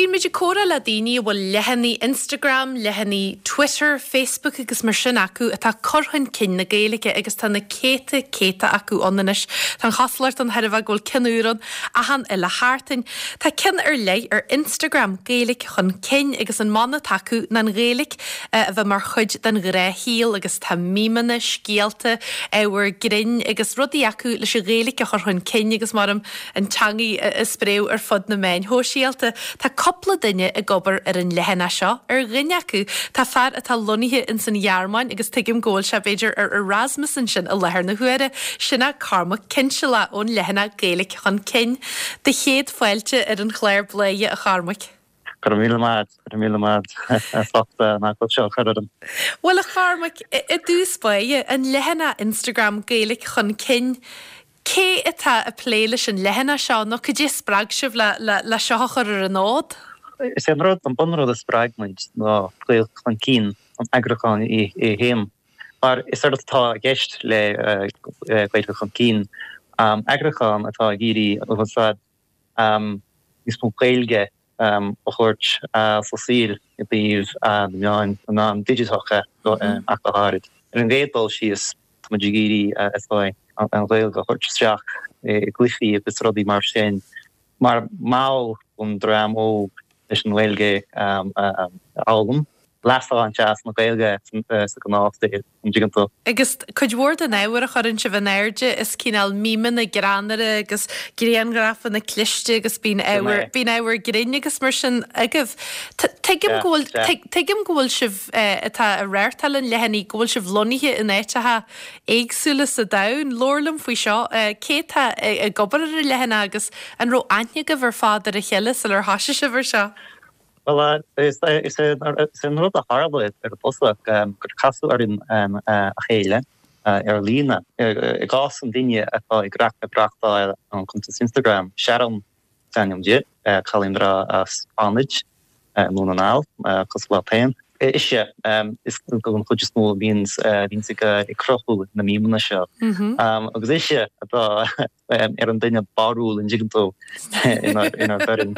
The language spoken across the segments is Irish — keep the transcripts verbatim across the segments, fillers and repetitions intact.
Bíonn muid ag comhrá le daoine a bhfuil leathanaigh Instagram, leathanaigh Twitter, Facebook agus mar sin acu atá cur chun cinn na Gaeilge agus tá na céadta céadta acu ann anois. Tá an chosúlacht an tairbhe go bhfuil ceann úr ann achan uile sheachtain. Tá ceann ar leith ar Instagram Gaeilge chun cinn agus an mana atá acu ná an Ghaeilge a bheith mar chuid den ghnáthshaol agus tá mímeanna, scéalta, ábhar grinn agus rudaí acu leis an Ghaeilge a chur chun cinn agus mar an teanga a spréadh ar fud na meáin shóisialta. Tá cúpla duine ag obair ar an leathanach seo ar dhuine acu tá fear atá lonnaithe in san Ghearmáin agus tuigim go bhfuil sé b'fhéidir ar Erasmus ansin i láthair na huaire sin é Cormac Cinnsealach ón leathanach Gaeilge chun cinn. Do chéad fáilte ar an chlár Bladhaire a Chormaic. Go míle maith go míle maith nach seo chuan. Bhuel a Chormaic i dtús báire an leathanach Instagram Gaeilge chun cinn. Cé atá ag plé leis an leathanach seo nó cad é spreag sibh le le le seo a chur ar an fhód? Is é an rud an bunrud a spreag muid ná Gaeilge chun cinn an eagrúchán é féin. Mar is éard atá i gceist le Gaeilge chun cinn eagrúchán atá ag iarraidh úsáid níos mó Gaeilge a thabhairt sa saol i dtaobh na meáin na meáin digiteacha ach go háirid. Ar an gcéad dul síos tá muid ag iarraidh is dóigh an Ghaeilge a thabhairt isteach i gcluichí agus rudaí mar sin mar modh don dream óg leis an Ghaeilge a fhoghlaim. Leas a bhaint as na Gaeilge sa ghnáthshaol an dtuigeann tú. Agus cuid mhór den ábhar a chuireann sibh in airde is cineál mímeanna greannmhara agus grianghrafanna cliste agus bíonn ábhar bíonn ábhar grinn agus mar sin agaibh. Tuigim go bhfuil tuigim go bhfuil sibh atá ag reáchtáil an leathanaigh go bhfuil sibh lonnaithe in áiteacha éagsúla sa domhan. Labhair liom faoi seo, cé atá ag obair ar an leathanach agus an raibh aithne agaibh ar fad ar a chéile sular thosaigh sibh ar seo? Well is é an rud a tharla ar dtús gur casadh orainn a chéile ar líne. I gcás an duine atá ag reáchtáil an cuntas Instagram Sharon is ainm di, cailín breá as Fánaid i nDún na nGall, cosúil leat féin. Ise is an chuid is mó a bhíonns ag cruthú na mímeanna seo. Agus ise atá ar an duine barrúil an dtuigeann tú inár bhfoireann.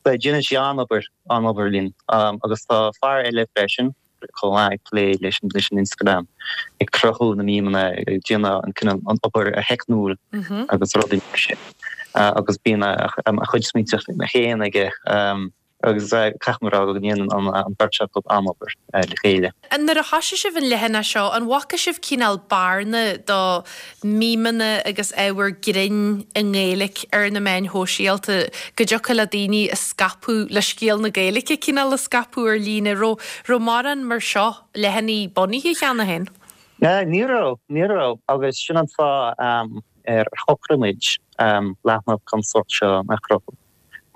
Déanann sí an-obair an-obair linn agus tá fear eile freisin chomh maith ag plé leis leis an Instagram ag cruthú na mímeanna ag déanamh an cineál an obair theicniúil agus rudaí mar sin. Agus bíonn a chuid smaointe féin aige agus caithfidh mé a rá go ndéanann an bheirt acu an-obair le chéile. Nuair a thosaigh sibh an leathanach seo, an bhfaca sibh cineál bearna do mímeanna agus ábhar grinn i nGaeilge ar na meáin shóisialta go dtiocfadh le daoine a scaipeadh le scéal na Gaeilge cineál a scaipeadh ar líne raibh raibh mórán mar seo leathanaigh bunaithe cheana féin? Ní raibh, ní raibh agus sin an fáth ar shocraigh muid leathanach den sórt seo a chruthú.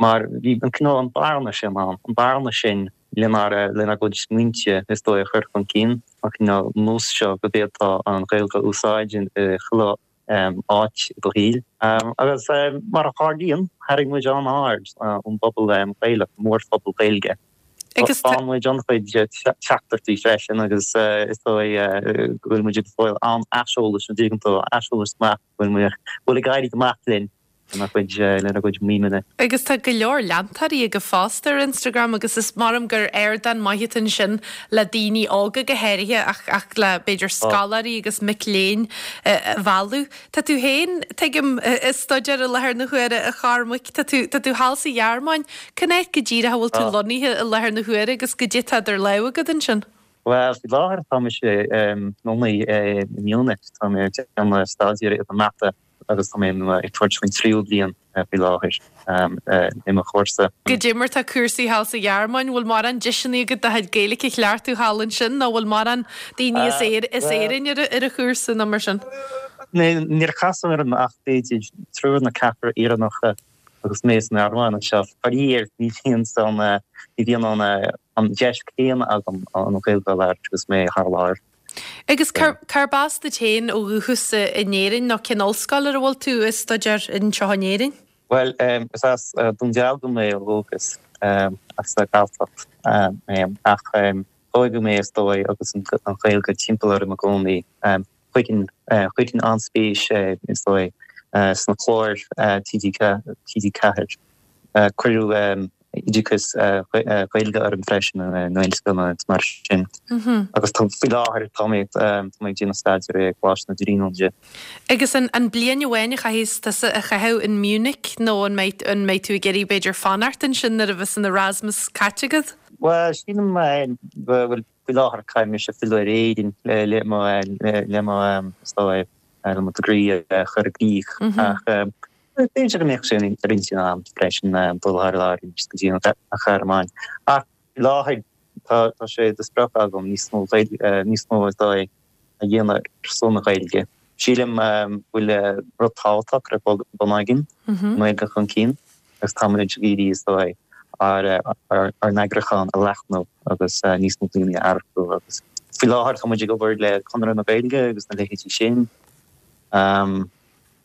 Mar bhí an cineál an bearna sin ann, an bearna sin lenár lenár gcuid smaointe is dóigh a chur chun cinn, an cineál nós seo go bhféadfá an Ghaeilge a úsáid i chuile áit i do shaol. Agus mar a tharlaíonn, tharraing muid an-aird ón bpobal Gaelach, mórphobal Gaeilge. Agus Faigheann muid an-chuid teachtaireachtaí freisin agus is dóigh go bhfuil muid ag fáil an-aiseolas an dtuigeann tú, aiseolas maith go bhfuil muid bhfuil ag éirí go maith linn lena gcuid lena gcuid mímeanna. Agus tá go leor leantóirí agaibh fosta ar Instagram agus is maith liom gur ardán maith atá ansin le daoine óga go háirithe ach ach le b'fhéidir scoláirí agus mic léinn a mhealladh. Tá tú féin tuigim ag staidéar i láthair na huaire a Chormaic, tá tú tá tú thall sa Ghearmáin. Cén áit go díreach a bhfuil tú lonnaithe i láthair na huaire agus goidé atá idir lámha agat ansin? Well faoi láthair tá mise lonnaithe i Munich, tá mé ag déanamh staidéar i mata agus tá mé ag tabhairt faoin tríú bliain faoi láthair i mo chúrsa. Goidé mar tá cúrsaí thall sa Ghearmáin, bhfuil mórán deiseanna agat do chuid Gaeilge a chleachtadh thall ansin nó bhfuil mórán daoine as as Éirinn ar ar an chúrsa nó mar sin? Níor casadh orm ach b'fhéidir triúr nó ceathrar Éireannacha agus mé san Ghearmáin anseo. Faraor ní bhíonn san ní bhíonn an an deis céanna agam an Ghaeilge a labhairt agus mé thar lear. Agus cárb as duit féin ó dhúchas in Éirinn nó cén ollscoil ar a bhfuil tú ag staidéar anseo in Éirinn? Well is as Dún Dealgan mé ó dhúchas as an Ghaeltacht mé ach tógadh mé is dóigh agus an Ghaeilge timpeall orm i gcónaí. Chuirfinn chuirfinn an-spéis is dóigh sna cláir TG TG Ceathair. Cuireadh oideachas Gaeilge orm freisin i nGaelscoileanna agus mar sin. Agus tá faoi láthair tá mé tá mé ag déanamh staidéir i gColáiste na Tríonóide. Agus an an bliain amháin a chaithfidh tusa a chaitheamh in Munich nó an mbeidh an mbeidh tú ag iarraidh b'fhéidir fanacht ansin nuair a bheas an Erasmus caite agat? Well sílim go bhfuil faoi láthair caithfidh mise filleadh ar Éirinn le le mo le mo is dóigh le mo degree a chur i gcrích ach b'fhéidir go mbeadh sé ar intinn agam freisin dul thar lear arís go dtí an Ghearmáin. Ach faoi láthair tá tá sé de sprioc agam níos mó níos mó is dóigh a dhéanamh ar son na Gaeilge. Sílim go bhfuil rud tábhachtach ar bun againn, an Ghaeilge chun cinn, agus táimid ag iarraidh is dóigh ár ár n-eagrúchán a leathnú agus níos mó daoine a earcú agus faoi láthair tá muid ag obair le Conradh na Gaeilge agus na leithéidí sin.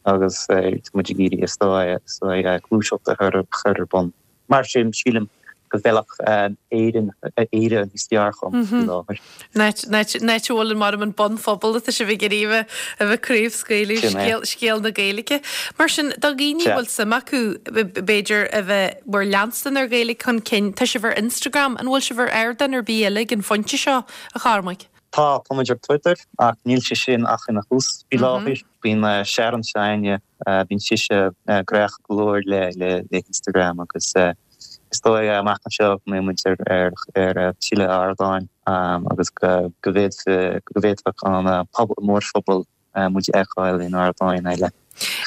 Agus tá muid ag iarraidh is dóigh is dóigh gluaiseacht a chur chur ar bun. Mar sin sílim go bhfeilfeadh Éirinn Éire níos fearr dhom faoi láthair. Áit a bhfuil an mar an bunphobal atá sibh ag iarraidh a bheith craobhscaoileadh scéal scéal na Gaeilge. Mar sin do dhaoine a bhfuil suim acu b'fhéidir a bheith mar leanstan ar Ghaeilge chun cinn, tá sibh ar Instagram, an bhfuil sibh ar ardán ar bith eile ag an phointe seo a Chormaic? Tá, tá muid ar Twitter ach níl sé sin ach ina thús faoi láthair. Bíonn Sharon s'againne, bíonn sise gnóthach go leor le le le Instagram agus is dóigh amach anseo go mbeidh muid ar ar ar tuilleadh ardáin agus go go bhféadfadh go bhféadfadh an pobal mórphobal muid a fheiceáil in ardáin eile.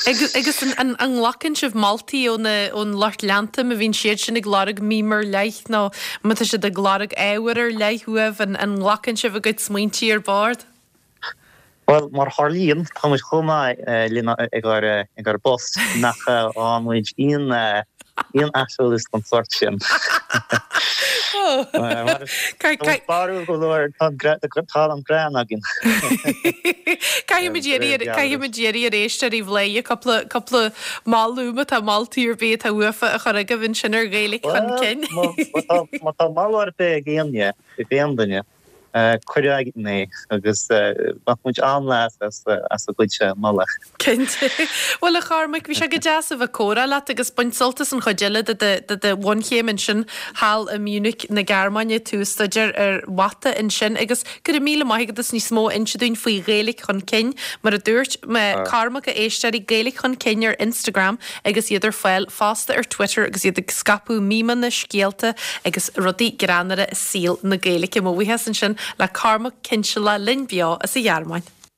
Agus an nglacann sibh moltaí ón lucht leanta má bhíonn siad sin ag lorg meme ar leith nó má tá siad ag lorg ábhar ar leith uaibh, an nglacann sibh a gcuid smaointe ar bord? Bhuel, mar a tharlaíonn, tá muid chomh maith linn ag ár ag ár bpost nach bhfaigheann muid aon aon aiseolas den sórt sin. Barúil go leor tá an greann againn. Caithfidh muid iarraidh ar éisteoirí Bhladhaire cúpla cúpla moladh má tá moltaí ar bith atá uafa a chur agaibh ansin ar Ghaeilge chun cinn. Má tá moladh ar bith ag éinne, ag aon duine, cuir chugainn é agus bheadh muid an-leas as as a gcuid moladh. Cinnte. Bhuel a Chormaic, bhí sé go deas a bheith ag comhrá leat agus bain sult as an chuid eile de do de do bhunchéim ansin thall i Munich na Gearmáine, tú ag staidéar ar mhata ansin agus go raibh míle maith agat as níos mó a inse dúinn faoi Ghaeilge Chun Cinn. Mar a dúirt mé Cormac a éisteoirí Gaeilge Chun Cinn ar Instagram agus iad ar fáil fosta ar Twitter agus iad ag scaipeadh mímeanna, scéalta agus rudaí greannmhara i saol na Gaeilge. Mo bhuíochas ansin le Cormac Cinnsealach linn beo as an Ghearmáin.